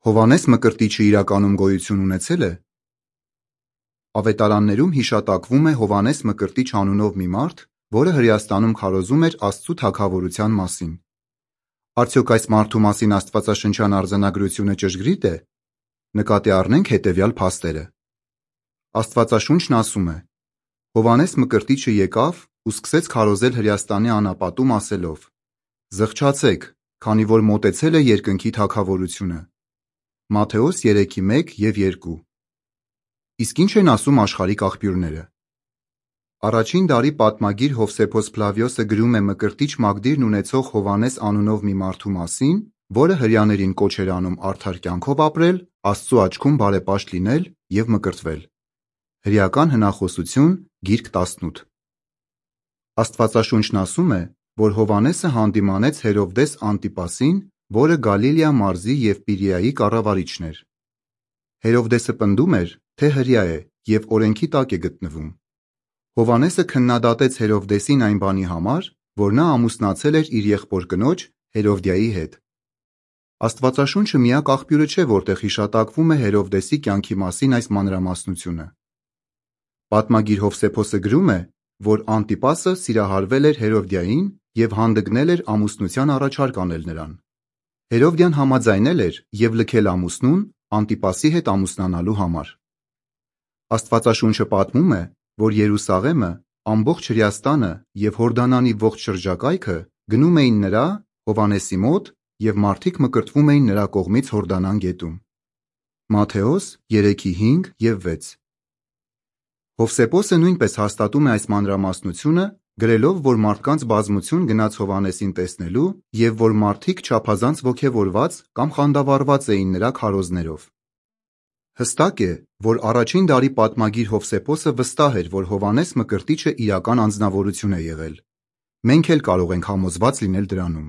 Հովհաննես Մկրտիչը իրականում գոյություն ունեցել է։ Ավետարաններում հիշատակվում է Հովհաննես Մկրտիչ անունով մի մարդ, որը Հրեաստանում քարոզում էր Աստծու թագավորության մասին։ Արդյոք այս մարդու մասին աստվածաշնչյան արձանագրությունը ճշգրիտ է։ Նկատի առնենք հետևյալ փաստերը։ Աստվածաշունչն ասում է. Հովհաննես Մկրտիչը եկավ ու սկսեց քարոզել Հրեաստանի անապատում ասելով. «Զղջացեք, քանի որ մոտեցել է երկնքի թագավորությունը»։ Մատթեոս 3:1 և 2։ Իսկ ինչ են ասում աշխարհիկ աղբյուրները։ Առաջին դարի պատմագիր Հովսեփոս Ֆլավիոսը գրում է Մկրտիչ մագդիրն ունեցող Հովհաննես անունով մի մարդու մասին, որը հրեաներին կոչ էր անում արդար կյանքով ապրել, Աստծու աչքում բարեպաշտ լինել և մկրտվել։ Հրեական հնախոսություն, գիրք 18։ Աստվածաշունչն ասում է, որ Հովհաննեսը հանդիմանեց Հերովդես Անտիպասին, որը Գալիլեա մարզի և Պիրեայի կառավարիչն էր։ Հերովդեսը պնդում էր, թե հրեա է և օրենքի տակ է գտնվում։ Հովհաննեսը քննադատեց Հերովդեսին այն բանի համար, որ նա ամուսնացել էր իր եղբոր կնոջ Հերովդիայի հետ։ Աստվածաշունչը միակ աղբյուրը չէ, որտեղ հիշատակվում է Հերովդեսի կյանքի մասին այս մանրամասնությունը։ Պատմագիր Հովսեփոսը գրում է, որ Անտիպասը սիրահարվել էր Հերովդիային և հանդգնել էր ամուսնության առաջարկ անել նրան։ Հերովդիան համաձայնել էր և լքել ամուսնուն Անտիպասի հետ ամուսնանալու համար։ Աստվածաշունչը պատմում է, որ Երուսաղեմը, ամբողջ Հրեաստանը և Հորդանանի ողջ շրջակայքը գնում էին նրա Հովհաննեսի մոտ և մարդիկ մկրտվում էին նրա կողմից Հորդանան գետում։ Մատթեոս 3:5 և 6։ Հովսեփոսը նույնպես հաստատում է այս մանրամասնությունը, գրելով, որ մարդկանց բազմություն գնաց Հովհաննեսին տեսնելու և որ մարդիկ չափազանց ոգևորված կամ խանդավառված էին նրա քարոզներով։ Հստակ է, որ առաջին դարի պատմագիր Հովսեփոսը վստահ էր, որ Հովհաննես Մկրտիչը իրական անձնավորություն է եղել։ Մենք էլ կարող ենք համոզված լինել դրանում։